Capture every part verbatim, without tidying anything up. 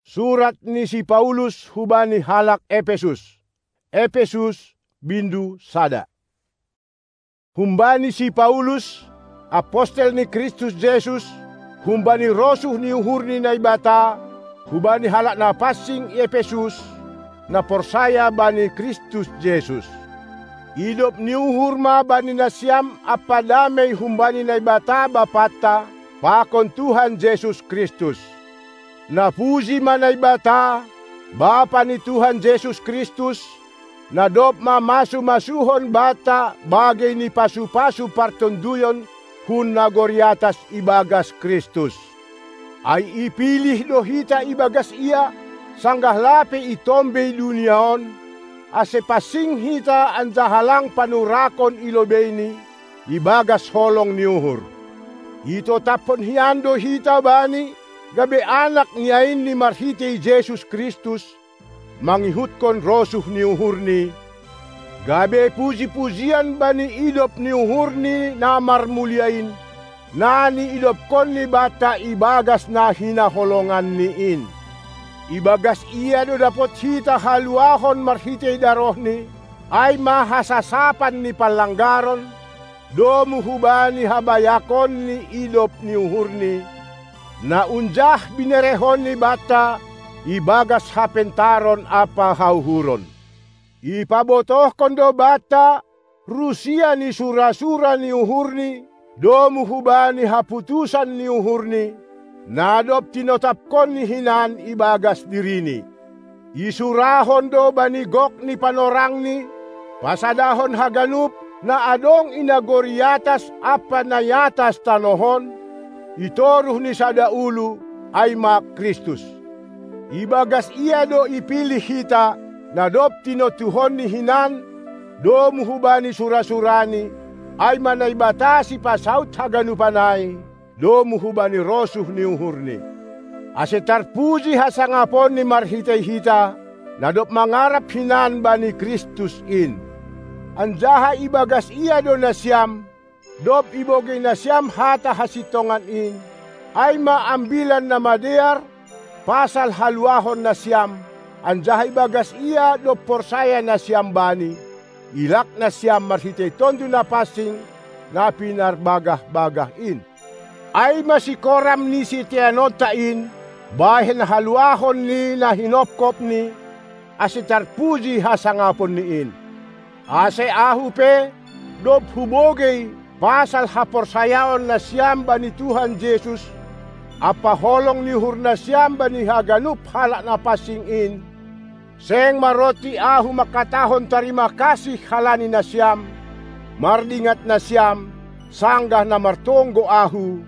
Surat ni si Paulus hubani halak Epesus. Epesus, bindu sada. Humbani si Paulus, apostel ni Kristus Jesus, humbani rosuh ni uhur ni Naibata, hubani halak na pansing i Epesus, na porsaya bani Kristus Jesus. Idop ni uhur ma bani nasiam ampa damei humbani Naibata Bapanta pakon Tuhan Jesus Kristus. Napuji ma Naibata, Bapa ni Tuhan Jesus Kristus, na dob mamasu-masuhon banta bagei ni pasu-pasu partonduyon hun nagori atas ibagas Kristus. Ai ipilih do hita ibagas Ia, sanggah lape i tombei dunia on, ase pansing hita anjaha lang panurakon i lobeini, ibagas holong ni uhur. Itotaphon hian do hita Bani, gabe anak ni ainNi marhitei Jesus Kristus, mangihutkon rosuh ni uhurNi, gabe puji-pujian bani idop ni uhurNi na marmulia in, na niidopkonNi banta ibagas na hinaholonganNi in. Ibagas Ia do dapot hita haluahon marhitei darohNi, ai ma hasasapan ni panlanggaron, domu hubani habayakon ni idop ni uhurNi, na unjah binerekonNi banta ibagas hapentaron ampa hauhuron. Ipabotohkon do banta rusia ni sura-sura ni uhurNi, domu hubani haputusan ni uhurNi, na dob tinotapkonNi hinan ibagas diriNi. Isurahon do bani gok ni panorangNi, pasadahon haganup na adong i nagori atas ampa na i atas tanoh on, i toruh ni sada ulu, ai ma Kristus. Ibagas Ia do ipilih hita, na dob tinontuhonNi hinan, domu hubani sura-suraNi, ai ma Naibata sipasaut haganupan ai, domu hubani rosuh ni uhurNi. Ase tarpuji hasangaponNi marhitei hita, na dob mangarap hinan bani Kristus in. Anjaha ibagas Ia do nasiam, dob ibogei nasiam hata hasintongan in, ai ma Ambilan Namadear, pasal haluahon nasiam, anjaha ibagas Ia dob porsaya nasiam Bani, ilak nasiam marhitei Tonduy Napansing na pinarbagah-bagah in. Ai ma sikoram ni siteanonta in, bahen haluahon ni na hinopkopNi, ase tarpuji hasangaponNi in. Ase ahu pe, dob hubogei pasal haporsayaon nasiam bani Tuhan Jesus, ampa holong ni uhur nasiam bani haganup halak na pansing in, seng maronti ahu mangkatahon tarima kasih halani nasiam, mardingat nasiam, sanggah na martonggo ahu,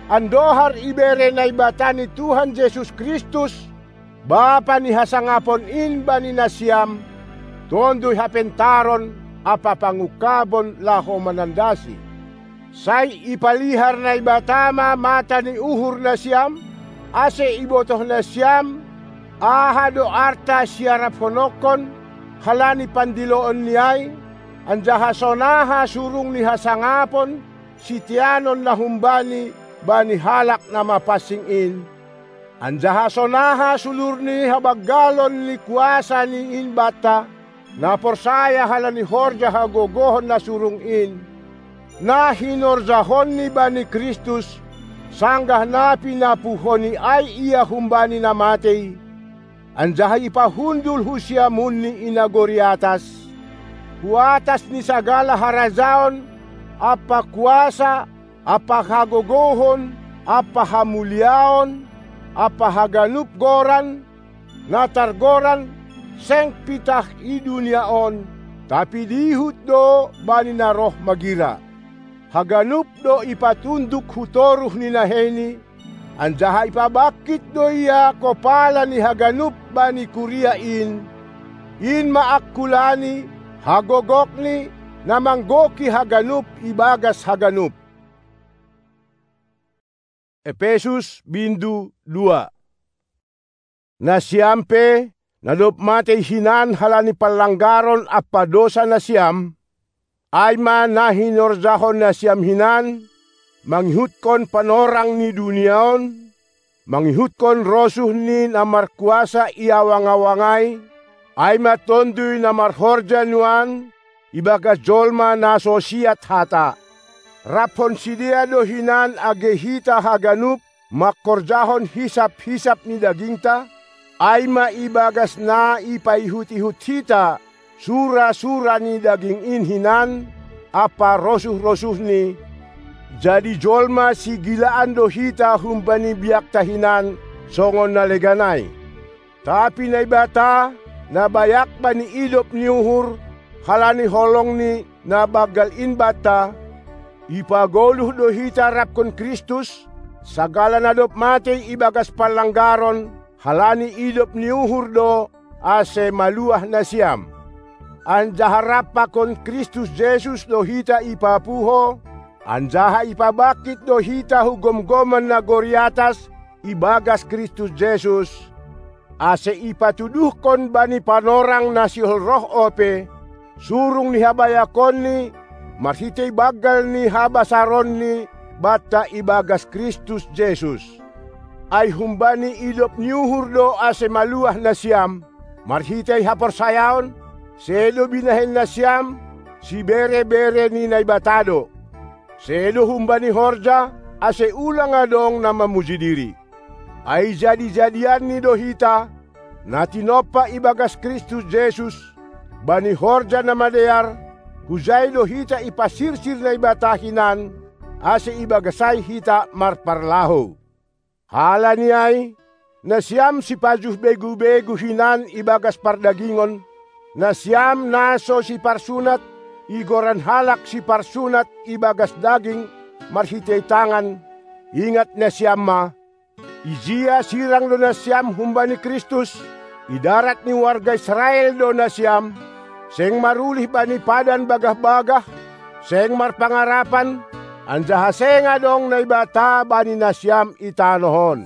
andohar ibere Naibata ni Tuhan Jesus Kristus, Bapa ni hasangapon in bani nasiam, Tonduy hapentaron ampa pangungkabon laho manandasi. Sai ipalihar Naibata ma mata ni uhur nasiam, ase ibotoh nasiam, aha do arta siaraphononkon, halani pandiloonni ai, anjaha sonaha surung ni hasangapon, siteanon na humbani bani halak na mapansing in, anjaha sonaha sulur ni habanggalon ni kuasa ni in banta, na porsaya halani horja hagogohon na surung in, na hinorjahonni bani Kristus, sanggah na pinapuhoni ai Ia humbani na matei, anjaha ipahundul hu siamunni i nagori atas, hu atas ni sagala harajaon, ampa kuasa, ampa hagogohon, ampa hamuliaon, ampa haganup goran, na targoran, seng pitah i dunia on, tapi dihut do bani na roh magira. Haganup do ipatunduk hu toruh ni naheini, anjaha ipabangkit do Ia kopala ni haganup bani kuria in, in ma angkulani, hagogokni, na manggoki haganup ibagas haganup. Epesus bindu dua. Nasiam pe, na dob matei hinan halani panlanggaron ampa dosa nasiam, ai ma na hinorjahon nasiam hinan, mangihutkon panorang ni dunia on, mangihutkon rosuh ni na markuasa i awang-awang ai, ai ma Tonduy na marhorja nuan ibagas jolma na so siat hata. Raphon sidea do hinan age hita haganup mangkorjahon hisap-hisap ni dagingta, ai ma ibagas na ipaihut-ihut hita sura-sura ni daging in hinan ampa rosuh-rosuhni, jadi jolma sigilaan do hita humbani biakta hinan songon na legan ai. Tapi Naibata, na bayak bani idop ni uhur, halani holongni na banggal in banta, ipagoluh do hita rapkon Kristus, sagala na dob matei ibagas panlanggaron, halani idop ni uhur do, ase maluah nasiam. Anjaha rap pakon Kristus Jesus do hita ipapuho, anjaha ipabangkit do hita hu gomgoman nagori atas ibagas Kristus Jesus, ase ipatuduhkon bani panorang na sihol roh ope, surung ni habayakonni marhitei banggal ni habasaronni banta ibagas Kristus Jesus. Ai humbani idop ni uhur do ase maluah nasiam, marhitei haporsayaon, sedo binahen nasiam, sibere-bere ni Naibata do. Sedo humbani horja, ase ulang adong na mamuji diri. Ai jadi-jadianni do hita, na tinompa ibagas Kristus Jesus, bani horja na madear, hujai do hita ipasirsir Naibata hinan, ase ibagas ai hita marparlahou. Halani ai, nasiam sipajuh begu-begu hinan ibagas pardagingon, nasiam na so siparsunat, igoran halak siparsunat ibagas daging marhitei tangan, ingat nasiam ma, ijia sirang do nasiam humbani Kristus, i darat ni warga Israel do nasiam, seng marulih bani padan bagah-bagah, seng marpangarapan, anjaha seng adong Naibata bani nasiam i tanoh on.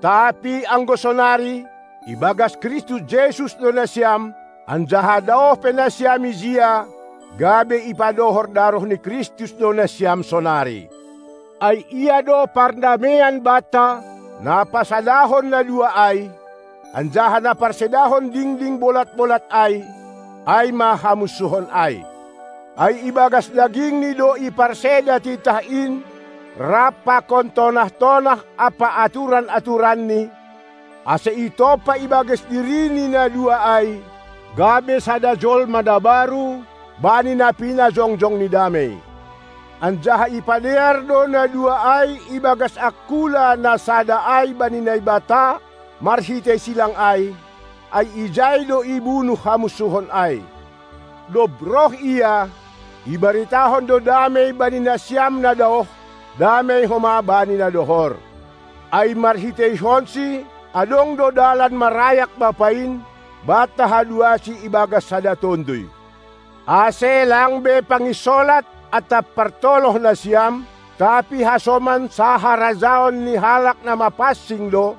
Tapi anggo sonari, ibagas Kristus Jesus do nasiam, anjaha daoh pe nasiam ijia, gabe ipadohor daroh ni Kristus do nasiam sonari. Ai ia do pardamean banta, na pasadahon na dua ai, anjaha na parsedahon dingding bolat-bolat ai, ai ma hamunsuhon ai. Ai ibagas dagingni do iparseda titah in, rap pakon tonah-tonah ampa aturan-aturanni, ase itompa ibagas dirini na dua ai, gabe sada jolma na baru, bani na pinajongjong ni damei. Anjaha ipadear do na dua ai ibagas angkula na sada ai bani Naibata, marhitei silang ai, ai ijai do ibunuh hamunsuhon ai. Dob roh ia, ibaritahon do damei bani nasiam na daoh, damei homa bani na dohor. Ai marhiteihonsi, adong do dalan marayak Bapa in, banta haduasi ibagas sada Tonduy. Ase lang be panginsolat atap partoloh nasiam, tapi hasoman saharajaon ni halak na mapansing do,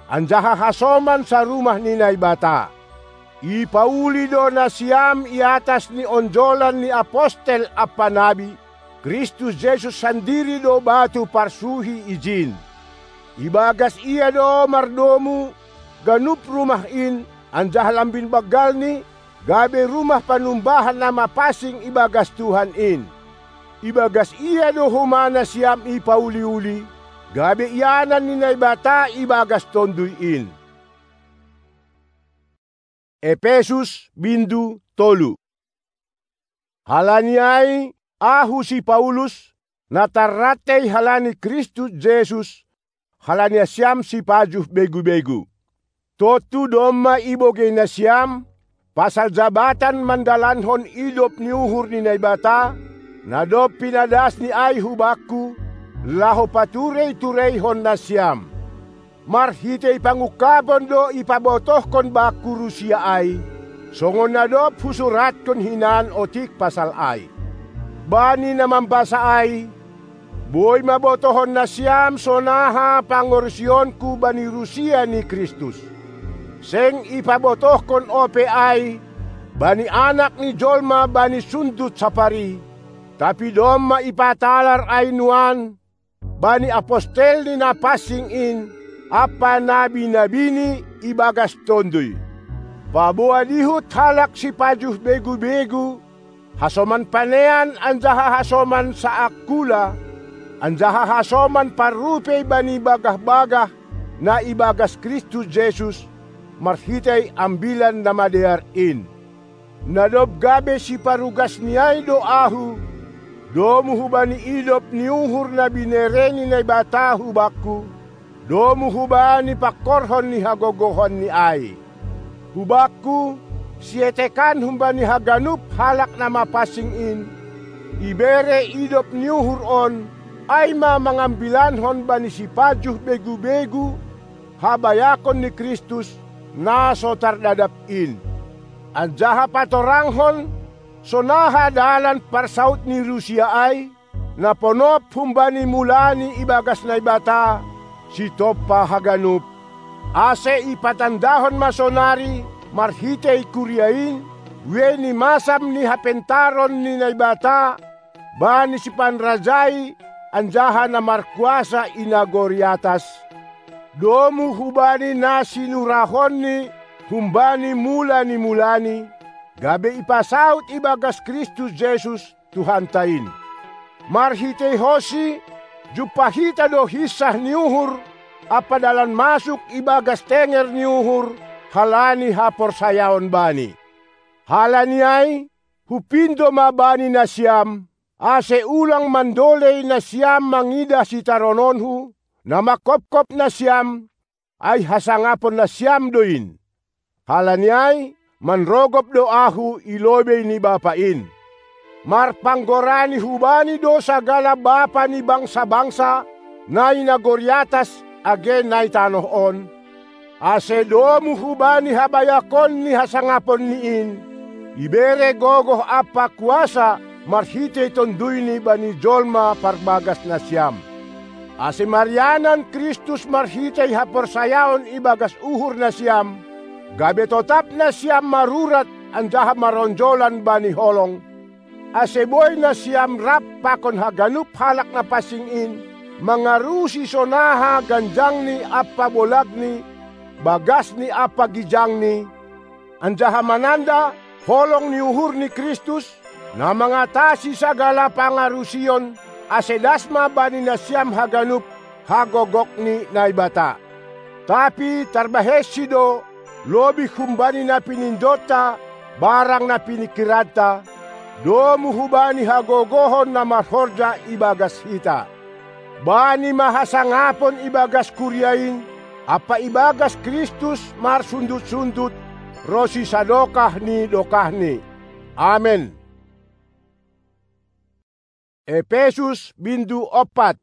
anjaha hasoman sarumah ni Naibata. Ipauli do nasiam i atas ni onjolan ni apostel ampa nabi, Kristus Jesus sandiri do batu parsuhi ijin. Ibagas ia do mardomu ganup rumah in, anjaha lambin banggalni, gabe rumah panumbahan na mapansing ibagas Tuhan in. Ibagas ia do homa nasiam ipauli-uli, gabe ianan ni Naibata ibagas Tonduy in. Epesus bindu tolu. Halani ai, ahu si Paulus, na tarrantei halani Kristus Jesus, halani nasiam sipajuh begu-begu. Tontu domma ibogei nasiam, pasal jabatan mandalankon idop ni uhur ni Naibata, na dob pinadasni ai hubakku, laho paturei-tureihon nasiam. Marhitei pangungkapon do ipabotohkon bakku rusia ai, songon na dob husuratkon hinan otik pasal ai. Bani na mambasa ai, boi ma botohon nasiam sonaha pangorusionku bani rusia ni Kristus. Seng ipabotohkon ope ai bani Anak ni jolma bani sundut sapari, tapi domma ipatalar ai nuan, bani apostel ni na pansing in, ampa nabi-nabini ibagas Tonduy. Paboa dihut halak sipajuh begu-begu, hasoman panean anjaha hasoman saangkula, anjaha hasoman parrupei bani bagah-bagah na ibagas Kristus Jesus, marhitei Ambilan Namadear in. Na dob gabe siparugasni ai do ahu, domu hubani idop ni uhur na binere ni Naibata hubakku, domu hubani pangkorhon ni hagogohonni ai. Hubakku, sietekan humbani haganup halak na mapansing in, ibere idop ni uhur on, ai ma mangambilankon bani sipajuh begu-begu habayakon ni Kristus, na so tardadap in. Anjaha patorangkon, sonaha dalan parsaud ni rusia ai, na ponop humbani mulani ibagas Naibata, sitompa haganup, ase ipatandahon ma sonari marhitei kuria in, buei ni masam ni hapentaron ni Naibata, bani sipanrajai anjaha na markuasa i nagori atas, domu hubani na sinurahonni humbani mula ni mulani, gabe ipasaud ibagas Kristus Jesus, Tuhanta in. Marhiteihonsi, jumpa hita do hinsah ni uhur ampa dalan masuk ibagas tenger ni uhur, halani haporsayaon Bani. Halani ai, hupindo ma bani nasiam, ase ulang mandolei nasiam mangidah sitarononhu, na manghophop nasiam, ai hasangapon nasiam do in. Halani ai, manrogop do ahu i lobei ni Bapa in. Marpanggorani hubani do sagala bapa ni bangsa-bangsa, na i nagori atas age na i tanoh on, ase domu hubani habayakon ni hasangaponni in, ibere gogoh ampa kuasa marhitei Tonduyni bani jolma parbagas nasiam. Ase marianan Kristus marhitei haporsayaon ibagas uhur nasiam, gabe totap nasiam marurat anjaha maronjolan bani holong, ase boi nasiam rap pakon haganup halak na pansing in, mangarusi sonaha ganjangni ampa bolagni, bagasni ampa gijangni, anjaha mananda holong ni uhur ni Kristus, na mangatasi sagala pangarusion, ase das ma bani nasiam haganup hagogok ni Naibata. Tapi tarbahensi do, lobih humbani na pinindonta, barang na piningkiranta, domu hubani hagogohon na marhorja ibagas hita. Bani ma hasangapon ibagas kuria in, ampa ibagas Kristus marsundut-sundut, ronsi sadokah ni dokahni. Amen. Epesus bindu ompat.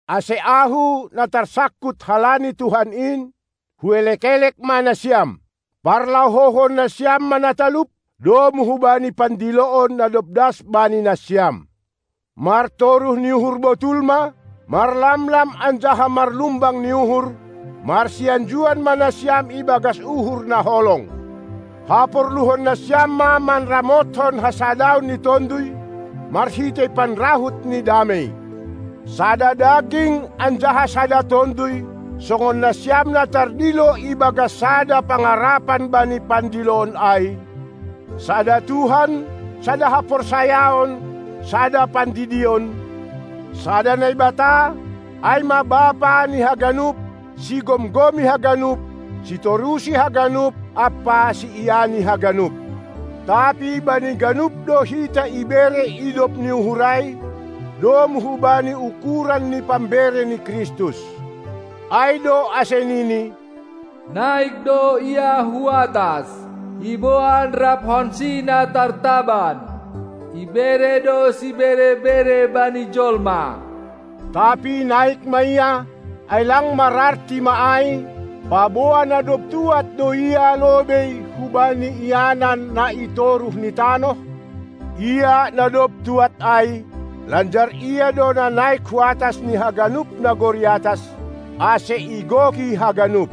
Ase ahu na tarsangkut halani Tuhan in, huelek-elek ma nasiam, parlahouhon nasiam ma na talup, domu hubani pandiloon na dob das bani nasiam. Martoruh ni uhur botul ma, marlamlam anjaha marlumbang ni uhur, marsianjuan ma nasiam ibagas uhur na holong. Haporluhon nasiam ma manramothon hasadaon ni Tonduy, marhitei panrahut ni damei. Sada daging anjaha sada Tonduy, songon nasiam na tardilo ibagas sada pangarapan bani pandiloon ai, sada Tuhan, sada haporsayaon, sada pandidion, sada Naibata, ai ma Bapa ni haganup, sigomgomi haganup, sitorusi haganup ampa siiani haganup. Tapi bani ganup do hita ibere idop ni uhur ai, domu hubani ukuran ni pambere ni Kristus. Ai do ase nini: Naik do Ia hu atas, iboan raphonsi na tartaban, ibere do sibere-bere bani jolma. Tapi naik ma Ia, ai lang mararti ma ai, paboa na dob tuat do Ia lobei hubani ianan na i toruh ni tanoh? Ia na dob tuat ai, lanjar Ia do na naik hu atas ni haganup nagori atas, ase igoki haganup.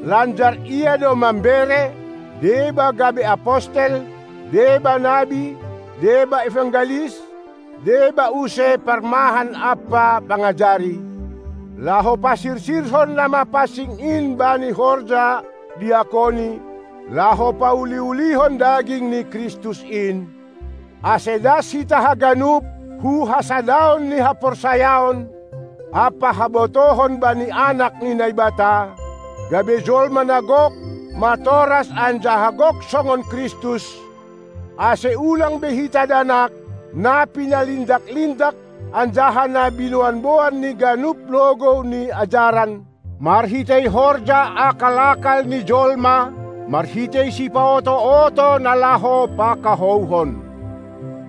Lanjar Ia do mambere, deba gabe apostel, deba nabi, deba evangelis, deba use parmahan ampa pangajari, laho pasirsirhon na mapansing in bani horja diakoni, laho pauli-ulihon daging ni Kristus in, ase das hita haganup hu hasadaon ni haporsayaon ampa habotohon bani Anak ni Naibata, gabe jolma na gok, matoras anjaha gok songon Kristus, ase ulang be hita danak, na pinalindak-lindak anjaha na binoan-boan ni ganup logou ni ajaran, marhitei horja akal-akal ni jolma, marhitei sipaoto-oto na laho pakahouhon.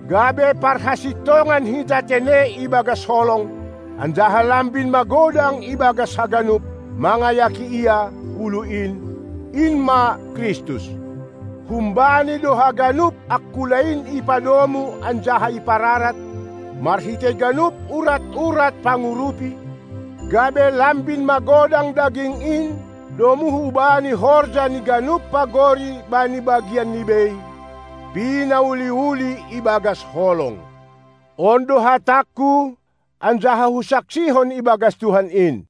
Gabe parhasintongan hita tene ibagas holong, anjaha lambin magodang ibagas haganup, mangayaki Ia, ulu in, in ma Kristus. Humbani do haganup angkula in ipadomu anjaha ipararat, marhitei ganup urat-urat pangurupi, gabe lambin magodang daging in, domu hubani horja ni ganup pagori bani bagian ni bei, pinauli-uli ibagas holong. On do hatangku, anjaha husaksihon ibagas Tuhan in.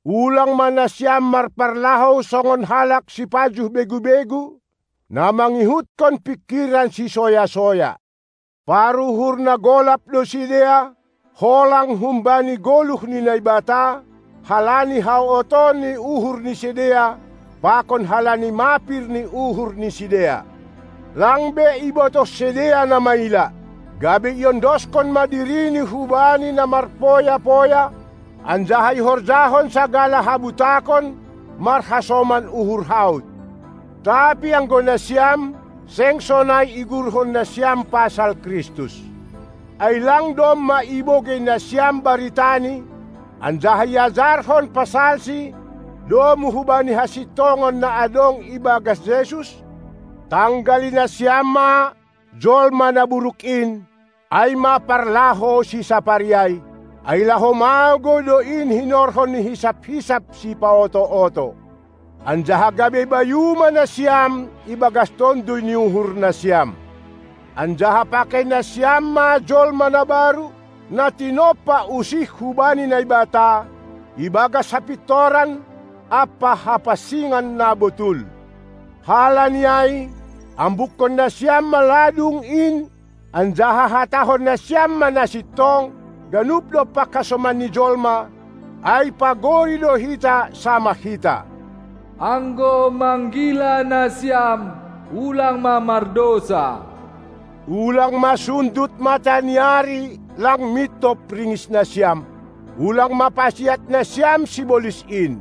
Ulang ma nasiam marparlahou songon halak sipajuh begu-begu, na mangihutkon pingkiran sisoya-soya. Paruhur na golap do sidea, holang humbani goluh ni Naibata, halani haotoon ni uhur ni sidea, pakon halani mapir ni uhur ni sidea. Lang be ibotoh sidea na maila, gabe iondoskon ma dirini hubani na marpoya-poya, anjaha ihorjahon sagala habutakon marhasoman uhur haut. Tapi anggo nasiam, seng sonai igurhon nasiam pasal Kristus. Ai lang domma ibogei nasiam baritani, anjaha iajarhon pasalsi, domu hubani hasintongon na adong ibagas Jesus? Tanggali nasiam ma jolma na buruk in, ai ma parlaho sisapari ai, ai laho magou do in hinorhon ni hisap-hisap sipaoto-oto. Anjaha gabe bayu ma nasiam ibagas tonduy ni uhur nasiam. Anjaha pakei nasiam ma jolma na baru, na tinompa usih hubani Naibata, ibagas hapintoran ampa hapansingan na botul. Halani ai, ambukkon nasiam ma ladung in, anjaha hatahon nasiam ma na sintong, ganup dompak hasoman ni jolma, ai pagori do hita samah hita. Anggo manggila nasiam, ulang ma mardosa. Ulang ma sundut mata ni ari lang mintop ringis nasiam. Ulang ma pasiat nasiam sibolis in.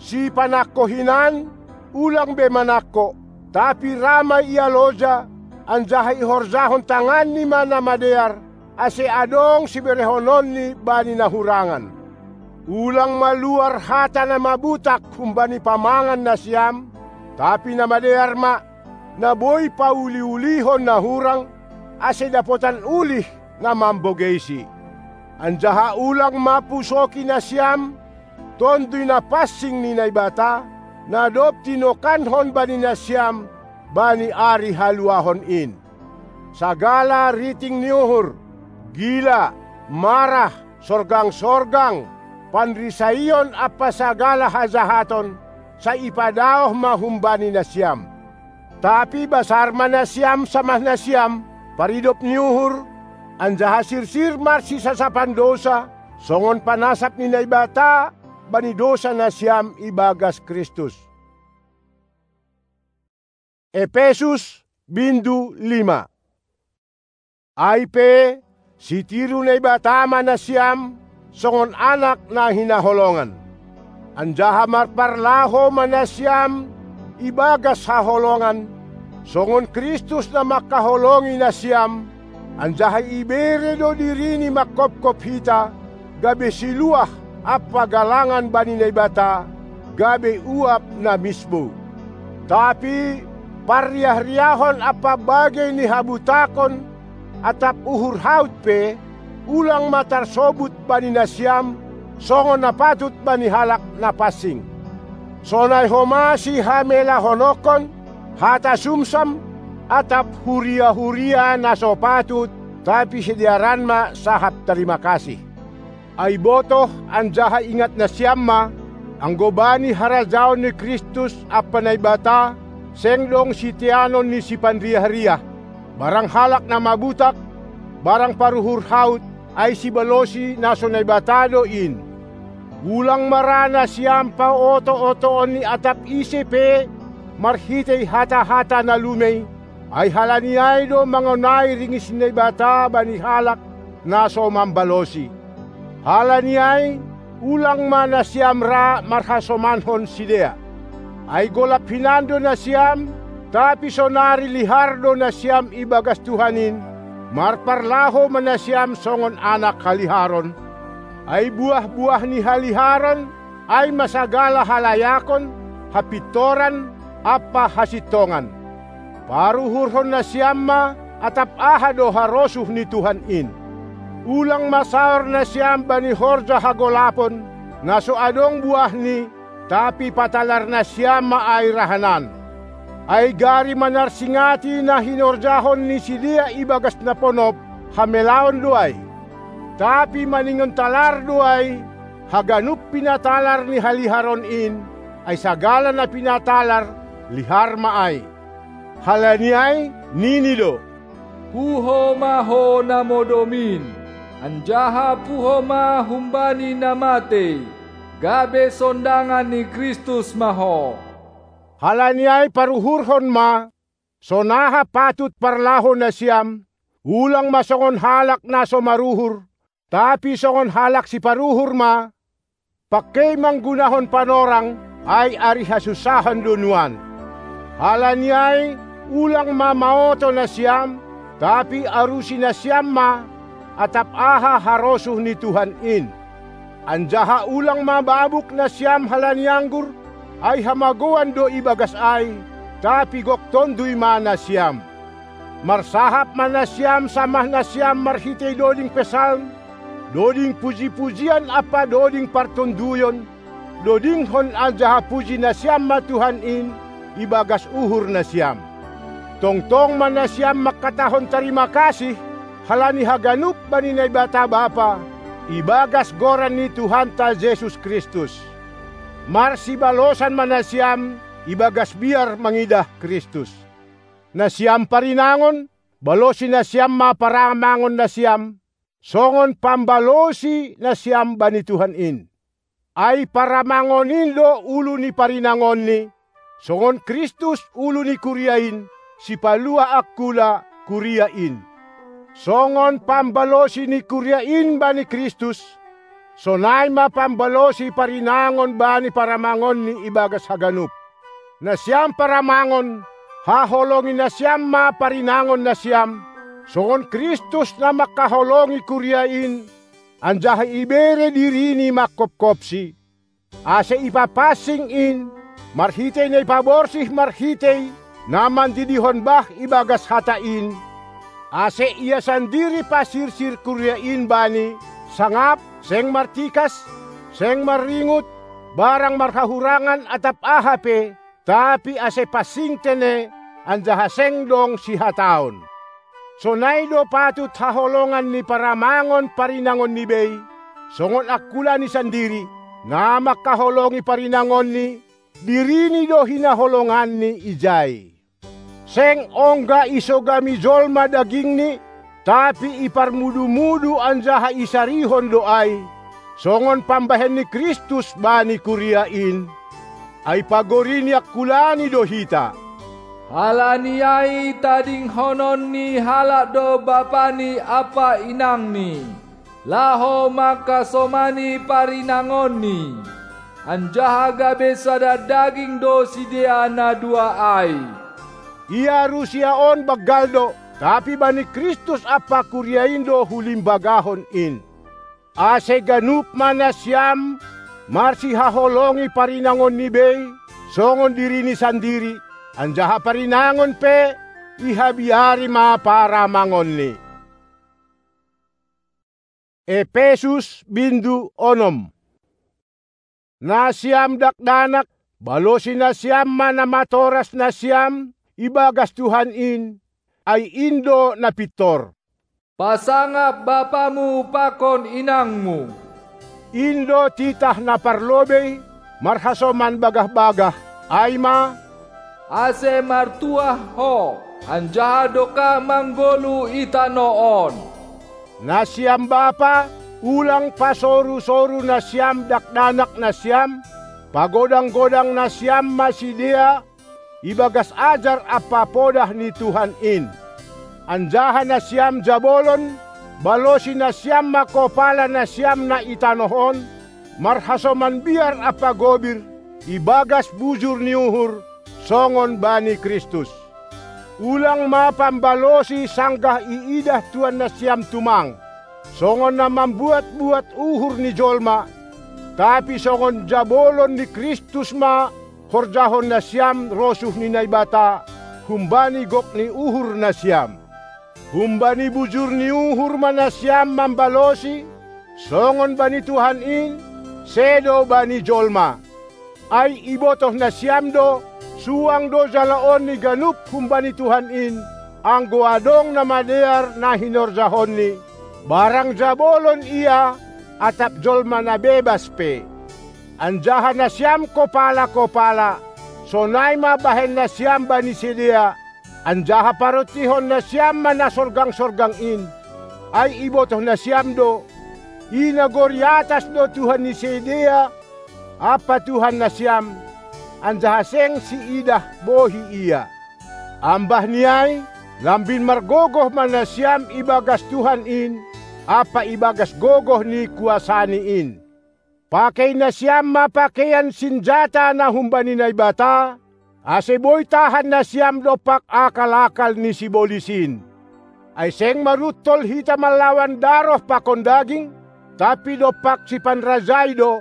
Sipanangko hinan, ulang be manangko, tapi ra ma ia loja, anjaha ihorjahon tanganni ma na madear, ase adong siberehononni bani na hurangan. Ulang maluar hata na mabutak humbani pamangan nasiam, tapi na madear ma, na boi pauli-ulihon na hurang, ase dapotan ulih na mambogeisi. Anjaha ulang ma pusoki nasiam, tonduy na pansing ni Naibata, na dob tinokankon bani nasiam bani ari haluahon in. Sagala riting ni uhur, gila, marah, sorgang-sorgang, panrisaion ampa sagala hajahaton, sai ipadaoh ma humbani nasiam. Tapi basar ma nasiam samah nasiam, paridop ni uhur, anjaha sirsir marsisasapan dousa, songon panasap ni Naibata bani dousa nasiam ibagas Kristus. Epesus, bindu lima. Ai pe, sitiru Naibata ma nasiam, songon anak na hinaholongan. Anjaha marparlahou ma nasiam ibagas haholongan, songon Kristus na mangkaholongi nasiam, anjaha ibere do diriNi mangkopkop hita, gabe siluah ampa galangan bani Naibata, gabe uap na misbou. Tapi parriah-riahon ampa bagei ni habutakon atap uhur haut pe, ulang ma tarsobut bani nasiam, songon na patut bani halak na pansing. Sonai homa sihamelahononkon, hata sumsam, atap huria-huria na so patut, tapi sidearan ma sahap tarima kasih. Ay botoh anjaha ingat nasiam ma, anggo bani harajaon ni Kristus ampa Naibata, seng dong siteanon ni sipanriah-riah, barang halak na mabutak, barang paruhur haut, ai sibalosi na so Naibata do in. Ulang ma ra nasiam paoto-otoon ni atap ise pe marhitei hata-hata na lumei, ai halani ai do mangonai ringis ni Naibata bani halak na so mambalosi. Halani ai, ulang ma nasiam ra marhasomanhon sidea. Ai golap hinan do nasiam, tapi sonari lihar do nasiam ibagas Tuhan in, marparlaho ma nasiam songon anak haliharon. Ai buah-buah ni haliharon, ai ma sagala halayakon, hapintoran, ampa hasintongan. Paruhurhon nasiam ma atap aha do harosuh ni Tuhan in. Ulang ma saor nasiam bani horja hagolapon, na so adong buahni, tapi patalar nasiam ma ai rahanan. Ai gari manarsingati na hinorjahon ni sidea ibagas na ponop, hamelaon do ai. Tapi maningon talar do ai, haganup pinatalar ni haliharon in, ai sagala na pinatalar, lihar ma ai. Halani ai, nini do: Puho ma ho na modom in, anjaha puho ma humbani na matei, gabe sondangan ni Kristus ma ho. Halani ai paruhurhon ma, sonaha patut parlaho nasiam, ulang ma songon halak na so maruhur, tapi songon halak siparuhur ma, pangkei manggunahon panorang, ai ari hasunsahan do nuan. Halani ai, ulang ma maoto nasiam, tapi arusi nasiam ma atap aha harosuh ni Tuhan in. Anjaha ulang ma mabuk nasiam halani anggur, ai hamagouan do ibagas ai, tapi gok tonduy ma nasiam. Marsahap ma nasiam samah nasiam marhitei doding pesalm, doding puji-pujian ampa doding partonduyon, dodinghon anjaha puji nasiam ma Tuhan in ibagas uhur nasiam. Tongtong ma nasiam mangkatahon tarima kasih halani haganup bani Naibata Bapa, ibagas goran ni Tuhanta Jesus Kristus. Marsibalosan ma nasiam ibagas biar mangidah Kristus. Nasiam parinangon, balosi nasiam ma paramangon nasiam, songon pambalosi nasiam bani Tuhan in. Ai paramangon in do ulu ni parinangonni, songon Kristus ulu ni kuria in, sipalua angkula kuria in. Songon pambalosi ni kuria in bani Kristus, sonai ma pambalosi parinangon bani paramangonni ibagas haganup. Nasiam paramangon, haholongi nasiam ma parinangon nasiam, songon Kristus na mangkaholongi kuria in, anjaha ibere dirini mangkopkopsi, ase ipapansing in, marhitei na ipaborsih marhitei na mandidihon bah ibagas hata in, ase ia sandiri pasirsir kuria in bani, sangap, seng martikas, seng marringut, barang marhahurangan atap aha pe, tapi ase pansing tene, anjaha seng dong sihataon. Sonai do patut haholongan ni paramangon parinangonni bei, songon angkula ni sandiri, na mangkaholongi parinangonni, dirini do hinaholonganni ijai. Seng ongga isogami jolma dagingni, tapi iparmudu-mudu anjaha isarihon do ai, songon pambahen ni Kristus bani kuria in, ai pagori ni angkulani do hita. Halani ai tadinghonon ni halak do bapani ampa inangni, laho mangkasomani parinangonni, anjaha gabe sada daging do sidea na dua ai. Ia rusia on banggal do, tapi bani Kristus ampa kuria in do hulimbagahon in. Ase ganup ma nasiam marsihaholongi parinangonni bei, songon dirini sandiri, anjaha parinangon pe ihabiari ma paramangonni. Epesus bindu onom. Nasiam dakdanak, balosi nasiam ma na matoras nasiam ibagas Tuhan in, ai in do na pintor. Pasangap bapamu pakon inangmu, In do titah na parlobei marhasoman bagah-bagah, ai ma: Ase martuah ho, anjaha dokah manggoluh i tanoh on. Nasiam bapa, ulang pasoru-soru nasiam dakdanak nasiam, pagodang-godang nasiam ma sidea ibagas ajar ampa podah ni Tuhan in. Anjaha nasiam jabolon, balosi nasiam ma kopala nasiam na i tanoh on, marhasoman biar ampa gobir, ibagas bujur ni uhur, songon bani Kristus. Ulang ma pambalosi sanggah iidah tuan nasiam tumang, songon na mambuat-buat uhur ni jolma, tapi songon jabolon ni Kristus ma horjahon nasiam rosuh ni Naibata humbani gok ni uhur nasiam. Humbani bujur ni uhur ma nasiam mambalosi, songon bani Tuhan in, sedo bani jolma. Ai ibotoh nasiam do, suang do jaloon ni ganup humbani Tuhan in, anggo adong na madear na hinorjahonni, barang jabolon ia atap jolma na bebas pe. Anjaha nasiam kopala-kopala, sonai ma bahen nasiam bani sidea, anjaha parontihon nasiam ma na sorgang-sorgang in. Ai ibotoh nasiam do, i nagori atas do Tuhan ni sidea ampa Tuhan nasiam, anjaha seng siidah bohi ia. Ambah ni ai, lambin margogoh ma nasiam ibagas Tuhan in ampa ibagas gogoh ni kuasaNi in. Pakei nasiam ma pakeian sinjata na humbani Naibata, ase boi tahan nasiam dompak akal-akal ni sibolis in. Ai seng maruntol hita manlawan daroh pakon daging, tapi dompak sipanrajai do,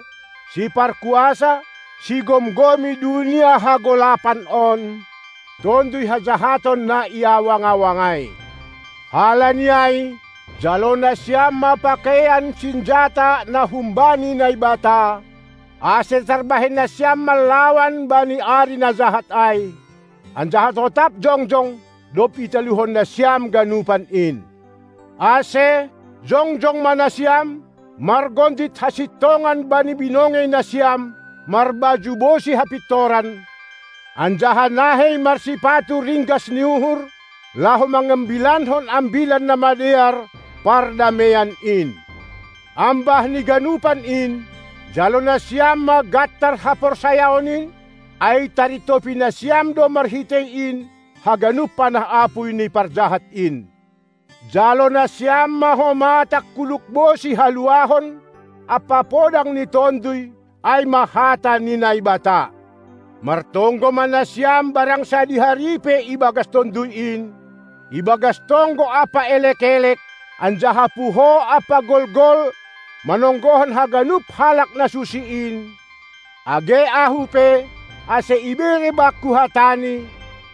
siparkuasa, sigomgomi dunia hagolapan on, tonduy hajahaton na i awang-awang ai. Halani ai, jalo nasiam ma pakeian sinjata na humbani Naibata, ase tarbahen nasiam manlawan bani ari na jahat ai, anjaha totap jongjong, dob italuhon nasiam ganupan in. Ase, jongjong ma nasiam, margondit hasintongan bani binongei nasiam, marbaju bosi hapintoran, anjaha nahei marsipatu ringgas ni uhur, laho mangambilankon Ambilan Namadear pardameian in. Ambah ni ganupan in, jalo nasiam ma gantar haporsayaon in, ai tarintopi nasiam do marhitei in haganup panah apuy ni parjahat in. Jalo nasiam ma homa tangkuluk bosi haluahon ampa podang ni Tonduy, ai ma hata ni Naibata. Martonggo ma nasiam barang sadihari pe ibagas Tonduy in, ibagas tonggo ampa elek-elek, anjaha puho ampa golgol, manonggohon haganup halak na susi in, age ahu pe, ase ibere bakku hataNi,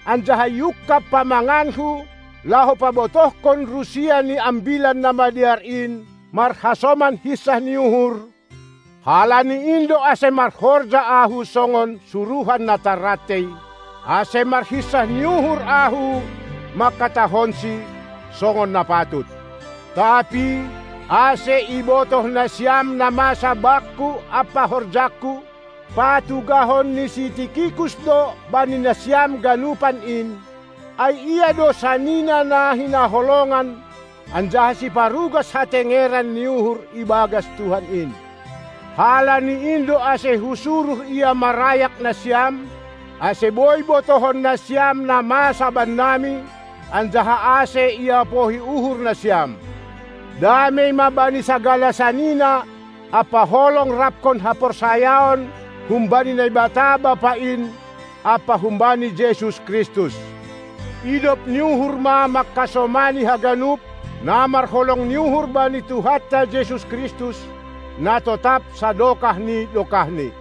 anjaha iungkab pamanganku, laho pabotohkon rusia ni Ambilan Namadear in marhasoman hinsah ni uhur. Halani in do ase marhorja ahu songon suruhan na tarrantei, ase marhinsah ni uhur ahu mangkatahonsi songon na patut. Tapi ase ibotoh nasiam na masa bakku ampa horjangku, patugahon ni si Tikikus do bani nasiam ganupan in, ai ia do sanina na hinaholongan, anjaha siparugas hatengeran ni uhur ibagas Tuhan in. Halani in do ase husuruh ia marayak nasiam, ase boi botohon nasiam na masa bannami, anjaha ase iapohi uhur nasiam. Damei ma bani sagala sanina ampa holong raphon haporsayaon humbani Naibata Bapa in ampa humbani Jesus Kristus. Idop ni uhur ma mangkasomani haganup, na marholong ni uhur bani Tuhanta Jesus Kristus, na totap sadokah ni dokahni.